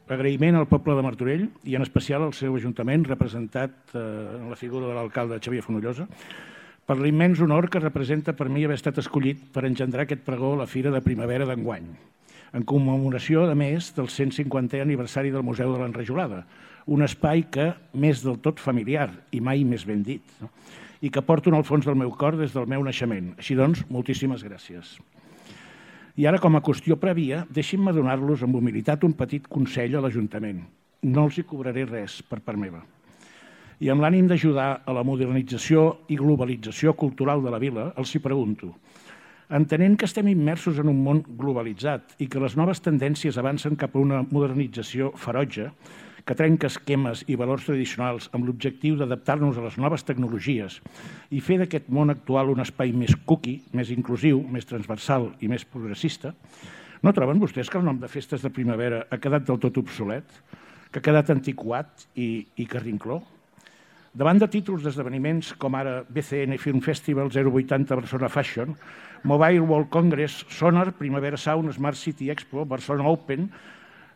Agraïment al poble de Martorell i en especial al seu ajuntament, representat en la figura de l'alcalde Xavier Fonollosa, per l'immens honor que representa per mi haver estat escollit per engendrar aquest pregó a la Fira de Primavera d'enguany, en commemoració, a més, del 150è aniversari del Museu de l'Enrajolada, un espai que m'és del tot familiar i mai més ben dit, i que porto en el fons del meu cor des del meu naixement. Així doncs, moltíssimes gràcies. I ara, com a qüestió prèvia, deixin-me donar-los amb humilitat un petit consell a l'Ajuntament. No els hi cobraré res per part meva. I amb l'ànim d'ajudar a la modernització i globalització cultural de la vila, els hi pregunto, entenent que estem immersos en un món globalitzat i que les noves tendències avancen cap a una modernització ferotge, que trenca esquemes i valors tradicionals amb l'objectiu d'adaptar-nos a les noves tecnologies i fer d'aquest món actual un espai més cookie, més inclusiu, més transversal i més progressista, no troben vostès que el nom de festes de primavera ha quedat del tot obsolet, que ha quedat antiquat i carrincló? Davant de títols d'esdeveniments com ara BCN Film Festival 080 Barcelona Fashion, Mobile World Congress, Sonar, Primavera Sound, Smart City Expo, Barcelona Open,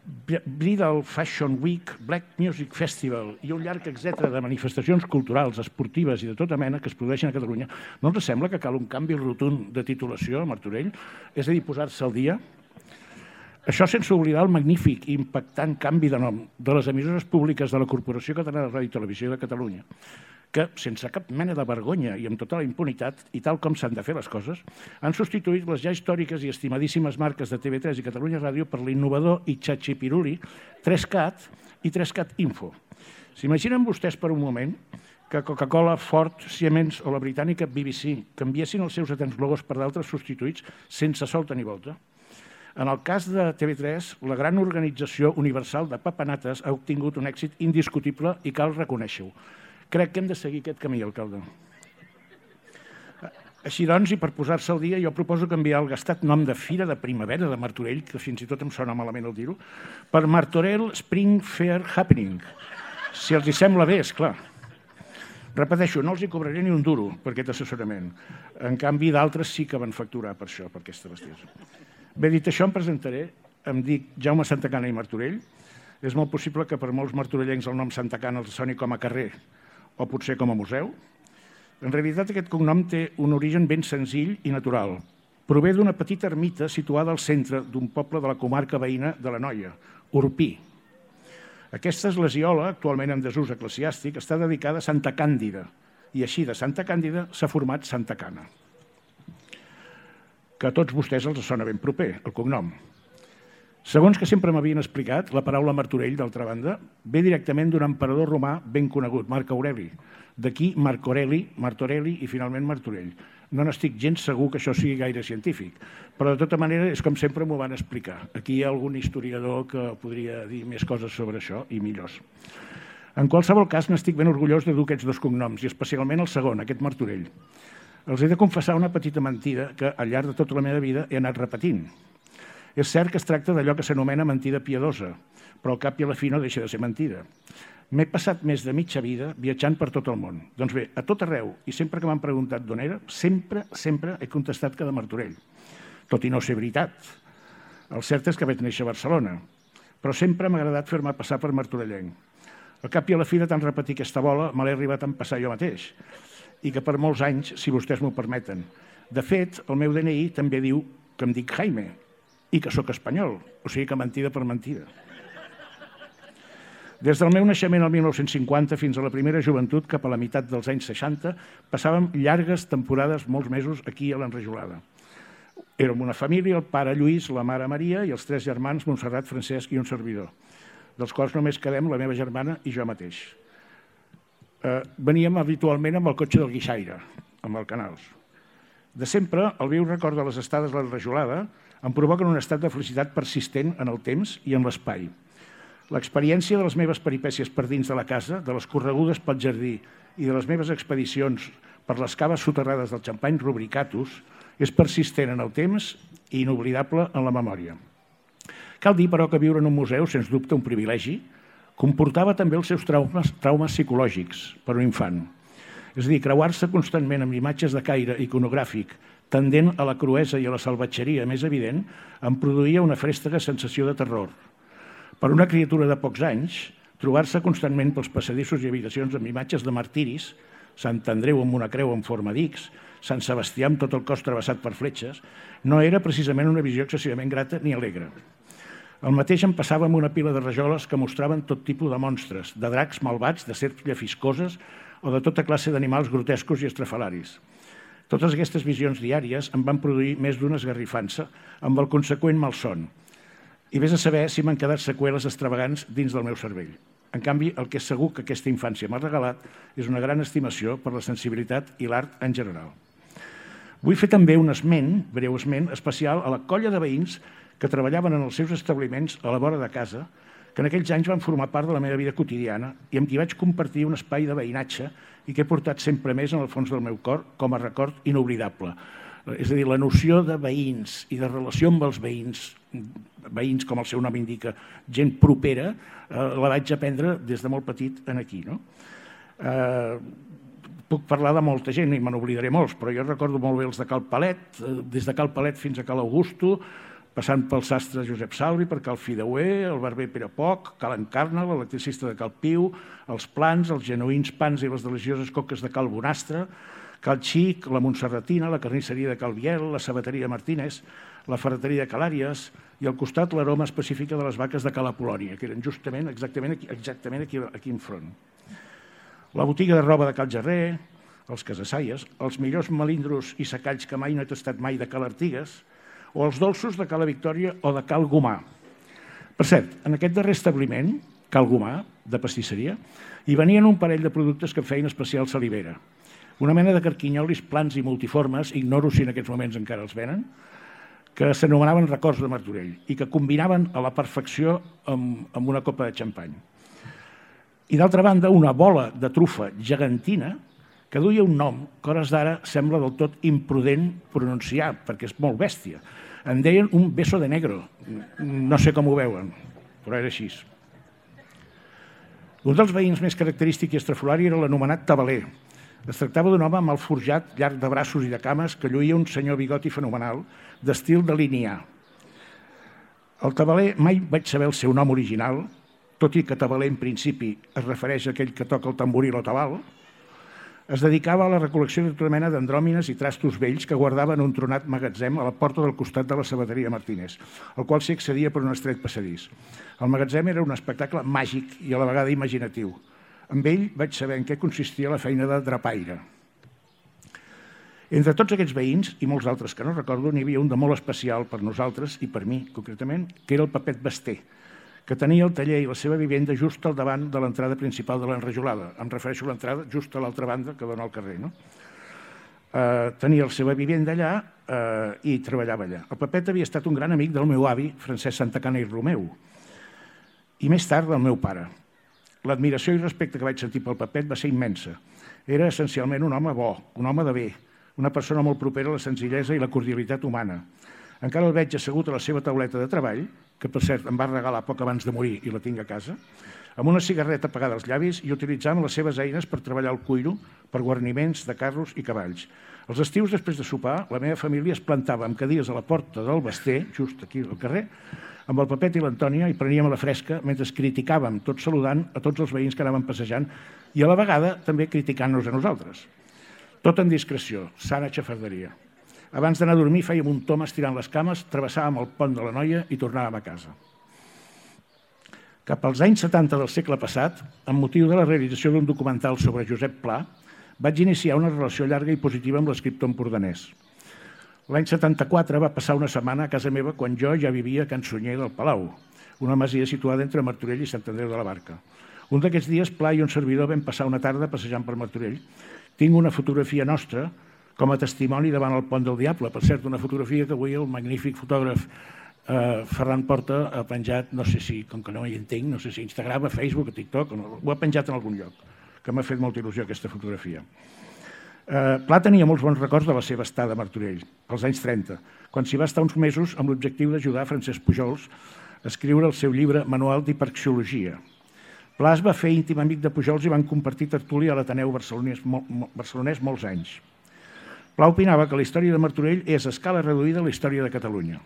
Bridal Fashion Week, Black Music Festival i un llarg etcètera de manifestacions culturals, esportives i de tota mena que es produeixen a Catalunya, no ens sembla que cal un canvi rotund de titulació a Martorell? És a dir, posar-se al dia? Això sense oblidar el magnífic i impactant canvi de nom de les emissores públiques de la Corporació Catalana de Ràdio i Televisió de Catalunya, que, sense cap mena de vergonya i amb tota la impunitat, i tal com s'han de fer les coses, han substituït les ja històriques i estimadíssimes marques de TV3 i Catalunya Ràdio per l'innovador i xatxipiruli 3CAT i 3CAT Info. S'imaginen vostès per un moment que Coca-Cola, Ford, Siemens o la britànica BBC canviessin els seus atents logos per d'altres substituïts sense solta ni volta? En el cas de TV3, la gran organització universal de papanates ha obtingut un èxit indiscutible i cal reconèixer-ho. Crec que hem de seguir aquest camí, alcalde. Així doncs, i per posar-se al dia, jo proposo canviar el gastat nom de Fira de Primavera de Martorell, que fins i tot em sona malament el dir-ho, per Martorell Spring Fair Happening. Si els hi sembla bé, esclar. Repeteixo, no els hi cobraré ni un duro per aquest assessorament. En canvi, d'altres sí que van facturar per això, per aquesta bestiesa. Bé, dit això, em presentaré. Em dic Jaume Santacana i Martorell. És molt possible que per molts martorellencs el nom Santacana els soni com a carrer o potser com a museu. En realitat, aquest cognom té un origen ben senzill i natural. Prové d'una petita ermita situada al centre d'un poble de la comarca veïna de l'Anoia, Orpí. Aquesta esglesiola, actualment en desús eclesiàstic, està dedicada a Santa Càndida i així de Santa Càndida s'ha format Santacana, que a tots vostès els sona ben proper, el cognom. Segons que sempre m'havien explicat, la paraula Martorell, d'altra banda, ve directament d'un emperador romà ben conegut, Marc Aureli. D'aquí Marc Aureli, Martorelli i finalment Martorell. No n'estic gens segur que això sigui gaire científic, però de tota manera és com sempre m'ho van explicar. Aquí hi ha algun historiador que podria dir més coses sobre això i millors. En qualsevol cas, n'estic ben orgullós de dur aquests dos cognoms, i especialment el segon, aquest Martorell. Els he de confessar una petita mentida que al llarg de tota la meva vida he anat repetint. És cert que es tracta d'allò que s'anomena mentida piadosa, però al cap i a la fi no deixa de ser mentida. M'he passat més de mitja vida viatjant per tot el món. Doncs bé, a tot arreu, i sempre que m'han preguntat d'on era, sempre he contestat que de Martorell, tot i no ser veritat. El cert és que vaig néixer a Barcelona, però sempre m'ha agradat fer-me passar per martorellenc. Al cap i a la fi de tant repetir aquesta bola, me l'he arribat a empassar jo mateix, i que per molts anys, si vostès m'ho permeten. De fet, el meu DNI també diu que em dic Jaime i que sóc espanyol, o sigui que mentida per mentida. Des del meu naixement al 1950 fins a la primera joventut, cap a la meitat dels anys 60, passàvem llargues temporades, molts mesos, aquí a l'Enrajolada. Érem una família, el pare Lluís, la mare Maria i els 3 germans, Montserrat, Francesc i un servidor, dels quals només quedem la meva germana i jo mateix. Veníem habitualment amb el cotxe del guixaire, amb el Canals. De sempre, el viu record de les estades a l'Enrajolada em provoquen un estat de felicitat persistent en el temps i en l'espai. L'experiència de les meves peripècies per dins de la casa, de les corregudes pel jardí i de les meves expedicions per les caves soterrades del Champagne Rubricatus és persistent en el temps i inoblidable en la memòria. Cal dir, però, que viure en un museu, sens dubte un privilegi, comportava també els seus traumes psicològics per un infant. És a dir, creuar-se constantment amb imatges de caire iconogràfic tendent a la cruesa i a la salvatgeria més evident em produïa una frèstega sensació de terror. Per una criatura de pocs anys, trobar-se constantment pels passadissos i habitacions amb imatges de martiris, Sant Andreu amb una creu en forma d'X, Sant Sebastià amb tot el cos travessat per fletxes, no era precisament una visió excessivament grata ni alegre. El mateix em passava amb una pila de rajoles que mostraven tot tipus de monstres, de dracs malvats, de serps llefiscoses o de tota classe d'animals grotescos i estrafalaris. Totes aquestes visions diàries em van produir més d'una esgarrifança amb el conseqüent malson. I vés a saber si m'han quedat seqüeles extravagants dins del meu cervell. En canvi, el que és segur que aquesta infància m'ha regalat és una gran estimació per la sensibilitat i l'art en general. Vull fer també un esment, breu esment, especial a la colla de veïns que treballaven en els seus establiments a la vora de casa, que en aquells anys van formar part de la meva vida quotidiana i amb qui vaig compartir un espai de veïnatge i que he portat sempre més en el fons del meu cor com a record inoblidable. És a dir, la noció de veïns i de relació amb els veïns com el seu nom indica, gent propera, la vaig aprendre des de molt petit aquí. Puc parlar de molta gent i me n'oblidaré molts, però jo recordo molt bé els de Cal Palet, des de Cal Palet fins a Cal Augusto, passant pel sastre Josep Salvi, per Cal Fideuer, el barber Pere Poc, Cal Encarna, l'electricista de Cal Piu, els plans, els genuïns pans i les delicioses coques de Cal Bonastre, Cal Xic, la Montserratina, la carnisseria de Cal Biel, la sabateria Martínez, la ferreteria de Cal Àries i al costat l'aroma específica de les vaques de Cal Apol·lònia, que eren justament exactament aquí enfront. La botiga de roba de Cal Gerrer, els Casasaies, els millors melindros i secalls que mai no he tastat mai de Cal Artigues, o els dolços de Cala Victòria o de Cal Gomà. Per cert, en aquest darrer establiment, Cal Gomà, de pastisseria, hi venien un parell de productes que feien especial salivera. Una mena de carquinyolis plans i multiformes, ignoro si en aquests moments encara els venen, que s'anomenaven records de Martorell i que combinaven a la perfecció amb una copa de xampany. I d'altra banda, una bola de trufa gegantina que duia un nom que a hores d'ara sembla del tot imprudent pronunciar, perquè és molt bèstia. En deien un beso de negro. No sé com ho veuen, però era així. Un dels veïns més característic i estrafolari era l'anomenat tabaler. Es tractava d'un home amb el forjat llarg de braços i de cames que lluïa un senyor bigoti fenomenal d'estil de linear. El tabaler mai vaig saber el seu nom original, tot i que tabaler en principi es refereix a aquell que toca el tamboril o tabal. Es dedicava a la recol·lecció de tota mena d'andròmines i trastos vells que guardava en un tronat magatzem a la porta del costat de la sabateria Martínez, al qual s'hi accedia per un estret passadís. El magatzem era un espectacle màgic i a la vegada imaginatiu. Amb ell vaig saber en què consistia la feina de drapaire. Entre tots aquests veïns, i molts altres que no recordo, n'hi havia un de molt especial per nosaltres i per mi, concretament, que era el Pepet Basté, que tenia el taller i la seva vivenda just al davant de l'entrada principal de l'Enrajolada. Em refereixo a l'entrada just a l'altra banda que dona al carrer. Tenia la seva vivenda allà i treballava allà. El Pepet havia estat un gran amic del meu avi, Francesc Santacana i Romeu, i més tard del meu pare. L'admiració i respecte que vaig sentir pel Pepet va ser immensa. Era essencialment un home bo, un home de bé, una persona molt propera a la senzillesa i la cordialitat humana. Encara el veig assegut a la seva tauleta de treball, que per cert em va regalar poc abans de morir i la tinc a casa, amb una cigarreta apagada als llavis i utilitzant les seves eines per treballar el cuiro, per guarniments de carros i cavalls. Els estius, després de sopar, la meva família es plantava amb cadires a la porta del Basté, just aquí al carrer, amb el Pepet i l'Antònia i preníem a la fresca mentre criticàvem, tot saludant a tots els veïns que anaven passejant i a la vegada també criticant-nos a nosaltres. Tot en discreció, sana xafarderia. Abans d'anar a dormir fèiem un tom estirant les cames, travessàvem el pont de la Noia i tornàvem a casa. Cap als anys 70 del segle passat, amb motiu de la realització d'un documental sobre Josep Pla, vaig iniciar una relació llarga i positiva amb l'escriptor empordanès. L'any 74 va passar una setmana a casa meva quan jo ja vivia a Can Sunyer del Palau, una masia situada entre Martorell i Sant Andreu de la Barca. Un d'aquests dies, Pla i un servidor vam passar una tarda passejant per Martorell. Tinc una fotografia nostra com a testimoni davant el Pont del Diable. Per cert, una fotografia que avui el magnífic fotògraf Ferran Porta ha penjat, no sé si, com que no hi entenc, no sé si Instagram, a Facebook, a TikTok, ho ha penjat en algun lloc, que m'ha fet molta il·lusió aquesta fotografia. Pla tenia molts bons records de la seva estada a Martorell, als anys 30, quan s'hi va estar uns mesos amb l'objectiu d'ajudar Francesc Pujols a escriure el seu llibre Manual d'Hiperxiologia. Pla es va fer íntim amic de Pujols i van compartir tertúlia a l'Ateneu barcelonès molts anys. Pla opinava que la història de Martorell és a escala reduïda a la història de Catalunya.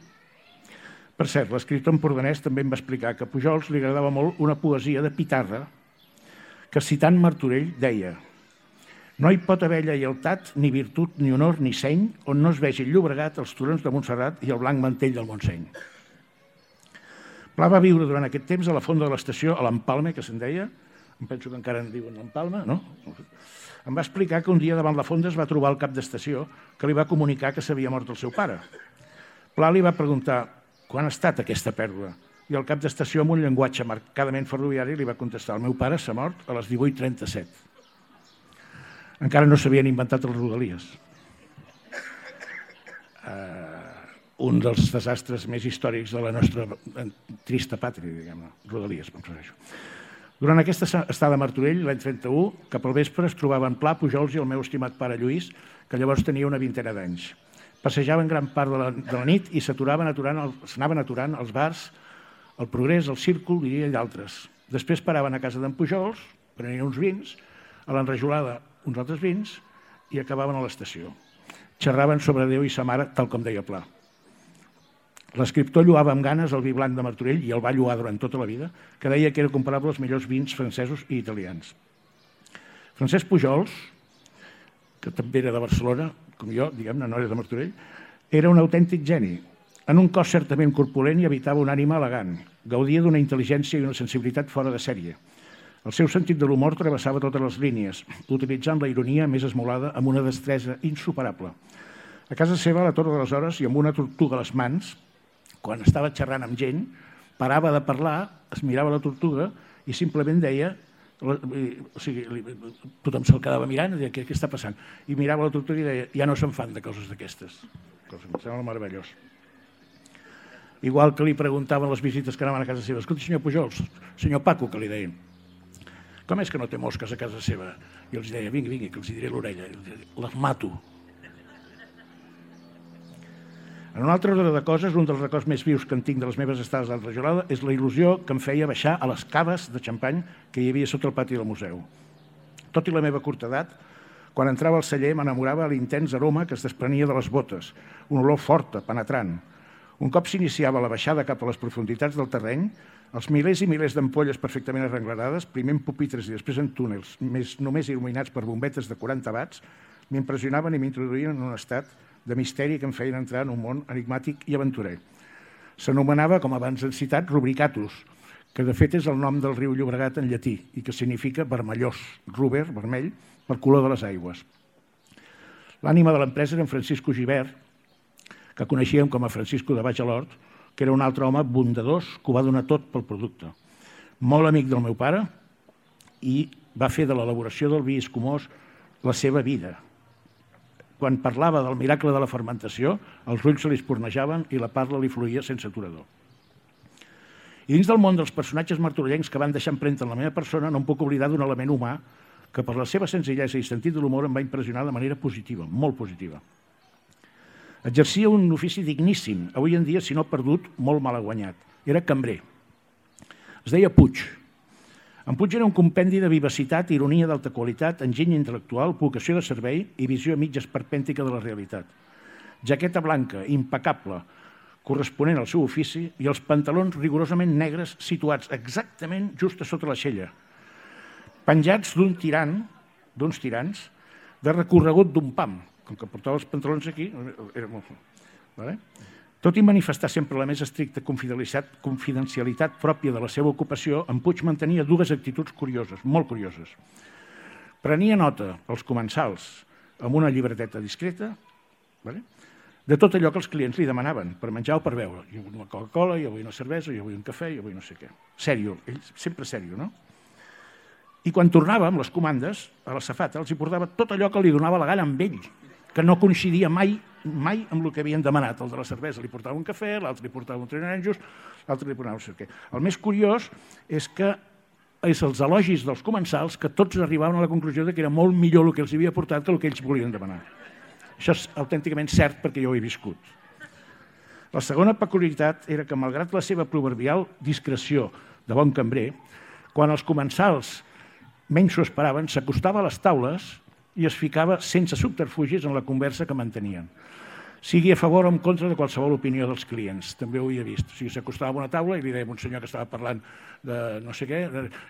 Per cert, l'escriptor empordanès també em va explicar que a Pujols li agradava molt una poesia de Pitarra que, citant Martorell, deia: «No hi pot haver lleialtat, ni virtut, ni honor, ni seny, on no es vegi el Llobregat, els turons de Montserrat i el blanc mantell del Montseny». Pla va viure durant aquest temps a la fonda de l'estació, a l'Empalme, que se'n deia, em penso que encara en diuen l'Empalme, no? Em va explicar que un dia davant la fonda es va trobar el cap d'estació que li va comunicar que s'havia mort el seu pare. Pla li va preguntar: «Quan ha estat aquesta pèrdua?» I el cap d'estació, amb un llenguatge marcadament ferroviari, li va contestar: «El meu pare s'ha mort a les 18:37. Encara no s'havien inventat els rodalies. Un dels desastres més històrics de la nostra trista pàtria, diguem-ne, rodalies, em refereixo. Durant aquesta estada a Martorell, l'any 31, cap al vespre es trobaven Pla, Pujols i el meu estimat pare Lluís, que llavors tenia una vintena d'anys. Passejaven gran part de la nit i s'anaven aturant als bars, al Progrés, al Círcul, diria, i d'altres. Després paraven a casa d'en Pujols, prenien uns vins, a l'enrajolada uns altres vins i acabaven a l'estació. Xerraven sobre Déu i sa mare, tal com deia Pla. L'escriptor lloava amb ganes el vi blanc de Martorell, i el va lloar durant tota la vida, que deia que era comparable als millors vins francesos i italians. Francesc Pujols, que també era de Barcelona, com jo, diguem-ne, no era de Martorell, era un autèntic geni. En un cos certament corpulent hi habitava una ànima elegant. Gaudia d'una intel·ligència i una sensibilitat fora de sèrie. El seu sentit de l'humor travessava totes les línies, utilitzant la ironia més esmolada amb una destresa insuperable. A casa seva, a la Torre de les Hores, i amb una tortuga a les mans, quan estava xerrant amb gent, parava de parlar, es mirava la tortuga i simplement deia, o sigui, tothom se'l quedava mirant i deia: què està passant? I mirava la tortuga i deia: ja no se'n fan de coses d'aquestes. Em sembla meravellós. Igual que li preguntaven les visites que anaven a casa seva: escolta, senyor Pujols, senyor Paco, que li deien, com és que no té mosques a casa seva? I els deia: vingui, que els diré l'orella. Les mato. En un altre ordre de coses, un dels records més vius que en tinc de les meves estades a l'enrajolada és la il·lusió que em feia baixar a les caves de xampany que hi havia sota el pati del museu. Tot i la meva curta edat, quan entrava al celler m'enamorava l'intens aroma que es desprenia de les botes, una olor forta, penetrant. Un cop s'iniciava la baixada cap a les profunditats del terreny, els milers i milers d'ampolles perfectament arrenglerades, primer en pupitres i després en túnels, només il·luminats per bombetes de 40 watts, m'impressionaven i m'introduïen en un estat de misteri que em feien entrar en un món enigmàtic i aventurer. S'anomenava, com abans hem citat, Rubricatus, que de fet és el nom del riu Llobregat en llatí i que significa vermellós, ruber, vermell, per color de les aigües. L'ànima de l'empresa era en Francisco Gibert, que coneixíem com a Francisco de Baix a l'Hort, que era un altre home bondadós que ho va donar tot pel producte. Molt amic del meu pare i va fer de l'elaboració del vi escumós la seva vida. Quan parlava del miracle de la fermentació, els ulls se li espurnejaven i la parla li fluïa sense aturador. I dins del món dels personatges martorellencs que van deixar empremta en la meva persona, no em puc oblidar d'un element humà que per la seva senzillesa i sentit de l'humor em va impressionar de manera positiva, molt positiva. Exercia un ofici digníssim, avui en dia, si no perdut, molt mal guanyat. Era cambrer. Es deia Puig. En Puig era un compendi de vivacitat, ironia d'alta qualitat, enginy intel·lectual, vocació de servei i visió mig esperpèntica de la realitat. Jaqueta blanca, impecable, corresponent al seu ofici, i els pantalons rigorosament negres situats exactament just a sota l'aixella, penjats d'uns tirants de recorregut d'un pam. Com que portava els pantalons aquí, era molt... Vale? Tot i manifestar sempre la més estricta confidencialitat pròpia de la seva ocupació, en Puig mantenia dues actituds curioses, molt curioses. Prenia nota als comensals amb una llibreteta discreta, de tot allò que els clients li demanaven per menjar o per beure. Jo vull una Coca-Cola, jo vull una cervesa, jo vull un cafè, jo vull no sé què. Sèrio, ell sempre sèrio, no? I quan tornava amb les comandes, a la safata els hi portava tot allò que li donava la gana amb ell, que no coincidia mai amb el que havien demanat. El de la cervesa li portava un cafè, l'altre li portava un trinanjos, l'altre li portava no sé què. El més curiós és que és els elogis dels comensals que tots arribaven a la conclusió que era molt millor el que els havia portat que el que ells volien demanar. Això és autènticament cert perquè jo ho he viscut. La segona peculiaritat era que, malgrat la seva proverbial discreció de bon cambrer, quan els comensals menys s'ho esperaven, s'acostava a les taules i es ficava sense subterfugis en la conversa que mantenien. sigui a favor o en contra de qualsevol opinió dels clients. També ho havia vist. O sigui, s'acostava a una taula i li deia a un senyor que estava parlant de no sé què,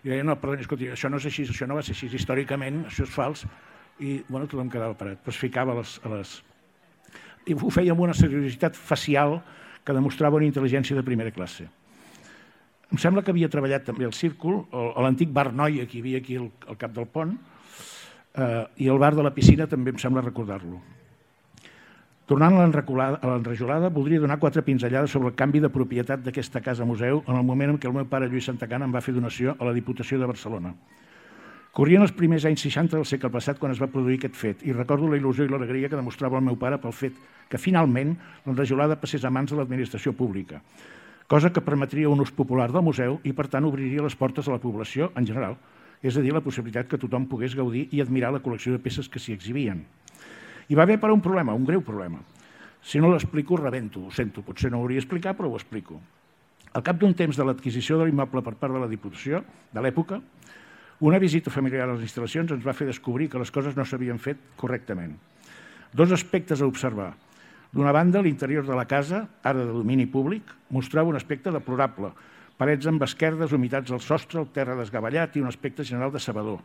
i deia, no, perdoni, escolti, això no és així, això no va ser així, històricament, això és fals, i bueno, tothom quedava parat. Però es ficava a les... I ho feia amb una seriositat facial que demostrava una intel·ligència de primera classe. Em sembla que havia treballat també al Círcul, a l'antic bar Noia que hi havia aquí al cap del pont, i el bar de la piscina també em sembla recordar-lo. Tornant a l'enrajolada, voldria donar 4 pinzellades sobre el canvi de propietat d'aquesta casa museu en el moment en què el meu pare Lluís Santacana em va fer donació a la Diputació de Barcelona. Corrien els primers anys 60 del segle passat quan es va produir aquest fet i recordo la il·lusió i l'alegria que demostrava el meu pare pel fet que finalment l'enrajolada passés a mans de l'administració pública, cosa que permetria un ús popular del museu i per tant obriria les portes a la població en general, és a dir, la possibilitat que tothom pogués gaudir i admirar la col·lecció de peces que s'hi exhibien. Hi va haver però un problema, un greu problema. Si no l'explico, rebento, ho sento, potser no ho hauria d'explicar, però ho explico. Al cap d'un temps de l'adquisició de l'immoble per part de la Diputació, de l'època, una visita familiar a les instal·lacions ens va fer descobrir que les coses no s'havien fet correctament. 2 aspectes a observar. D'una banda, l'interior de la casa, ara de domini públic, mostrava un aspecte deplorable, parets amb esquerdes, humitats al sostre, el terra desgavellat i un aspecte general de sabador.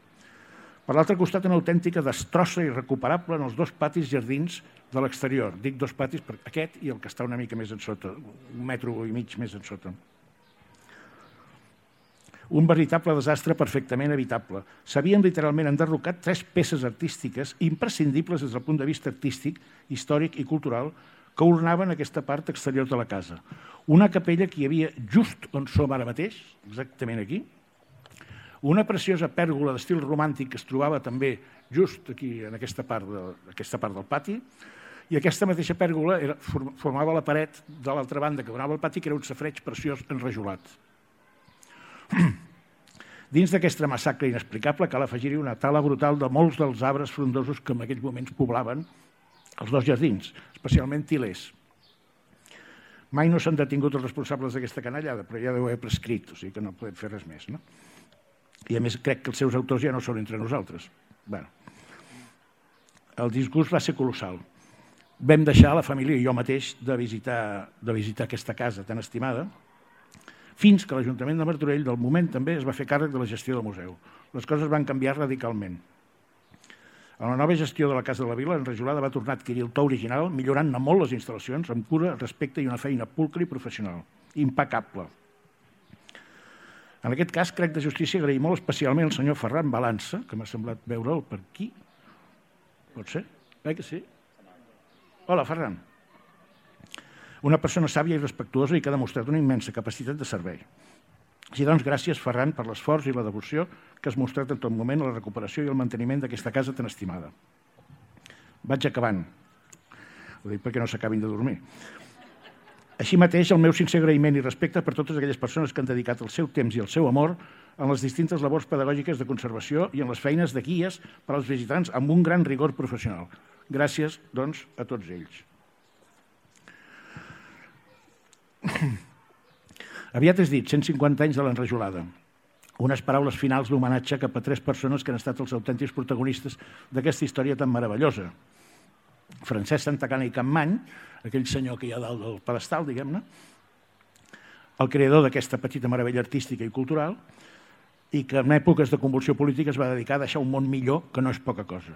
Per l'altre costat, una autèntica destrossa irrecuperable en els 2 patis jardins de l'exterior. Dic 2 patis, aquest i el que està una mica més en sota, 1,5 metres més en sota. Un veritable desastre perfectament evitable. S'havien literalment enderrocat 3 peces artístiques imprescindibles des del punt de vista artístic, històric i cultural que ornaven aquesta part exterior de la casa. Una capella que hi havia just on som ara mateix, exactament aquí, una preciosa pèrgola d'estil romàntic que es trobava també just aquí, en aquesta part del pati, i aquesta mateixa pèrgola formava la paret de l'altra banda que donava al pati, que era un safareig preciós enrajolat. Dins d'aquesta massacre inexplicable cal afegir-hi una tala brutal de molts dels arbres frondosos que en aquells moments poblaven els 2 jardins, especialment tilers. Mai no s'han detingut els responsables d'aquesta canallada, però ja deu haver prescrit, o sigui que no podem fer res més, no? I a més crec que els seus autors ja no són entre nosaltres. Bé, el disgust va ser colossal. Vam deixar la família i jo mateix de visitar aquesta casa tan estimada, fins que l'Ajuntament de Martorell del moment també es va fer càrrec de la gestió del museu. Les coses van canviar radicalment. En la nova gestió de la Casa de la Vila, l'enrajolada va tornar a adquirir el to original, millorant-ne molt les instal·lacions, amb cura, respecte i una feina pulcra i professional. Impecable. En aquest cas, crec de justícia agrair molt especialment al senyor Ferran Balança, que m'ha semblat veure'l per aquí. Pot ser? Que sí? Hola, Ferran. Una persona sàvia i respectuosa i que ha demostrat una immensa capacitat de servei. Així doncs, gràcies, Ferran, per l'esforç i la devoció que has mostrat en tot moment a la recuperació i el manteniment d'aquesta casa tan estimada. Vaig acabant. Ho dic perquè no s'acabin de dormir. Així mateix, el meu sincer agraïment i respecte per totes aquelles persones que han dedicat el seu temps i el seu amor en les distintes labors pedagògiques de conservació i en les feines de guies per als visitants amb un gran rigor professional. Gràcies, doncs, a tots ells. Aviat és dit, 150 anys de l'enrajolada. Unes paraules finals d'homenatge cap a 3 persones que han estat els autèntics protagonistes d'aquesta història tan meravellosa. Francesc Santacana i Campmany, aquell senyor que hi ha dalt del pedestal, diguem-ne, el creador d'aquesta petita meravella artística i cultural, i que en èpoques de convulsió política es va dedicar a deixar un món millor, que no és poca cosa.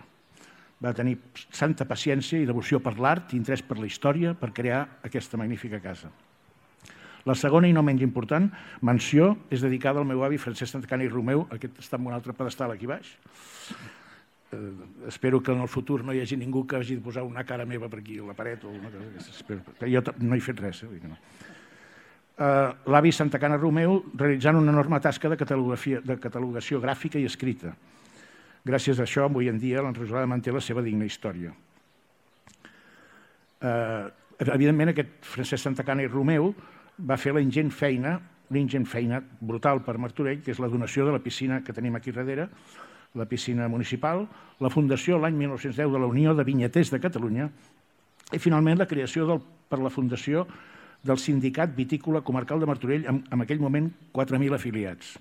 Va tenir santa paciència i devoció per l'art i interès per la història per crear aquesta magnífica casa. La segona i no menys important menció és dedicada al meu avi Francesc Santacana i Romeu, aquest està en un altre pedestal aquí baix. Espero que en el futur no hi hagi ningú que hagi de posar una cara meva per aquí a la paret o una cosa d'aquestes. Jo no he fet res. L'avi Santacana Romeu realitzant una enorme tasca de catalogació gràfica i escrita. Gràcies a això, avui en dia, l'enrajolada manté la seva digna història. Evidentment, aquest Francesc Santacana i Romeu va fer la ingent feina brutal per Martorell, que és la donació de la piscina que tenim aquí darrere, la piscina municipal, la fundació l'any 1910 de la Unió de Vinyaters de Catalunya i finalment la creació per la fundació del Sindicat Vitícola Comarcal de Martorell amb en aquell moment 4.000 afiliats.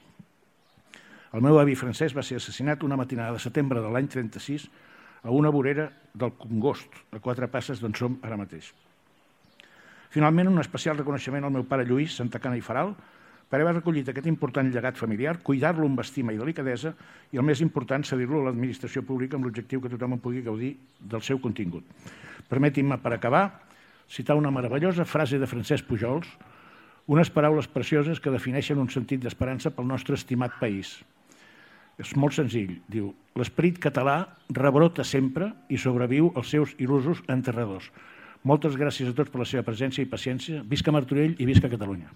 El meu avi Francesc va ser assassinat una matinada de setembre de l'any 36 a una vorera del Congost, a 4 passes d'on som ara mateix. Finalment, un especial reconeixement al meu pare Lluís Santacana i Faral per haver recollit aquest important llegat familiar, cuidar-lo amb estima i delicadesa i, el més important, cedir-lo a l'administració pública amb l'objectiu que tothom en pugui gaudir del seu contingut. Permetin-me, per acabar, citar una meravellosa frase de Francesc Pujols, unes paraules precioses que defineixen un sentit d'esperança pel nostre estimat país. És molt senzill, diu: l'esperit català rebrota sempre i sobreviu als seus il·lusos enterradors. Moltes gràcies a tots per la seva presència i paciència. Visca Martorell i visca Catalunya.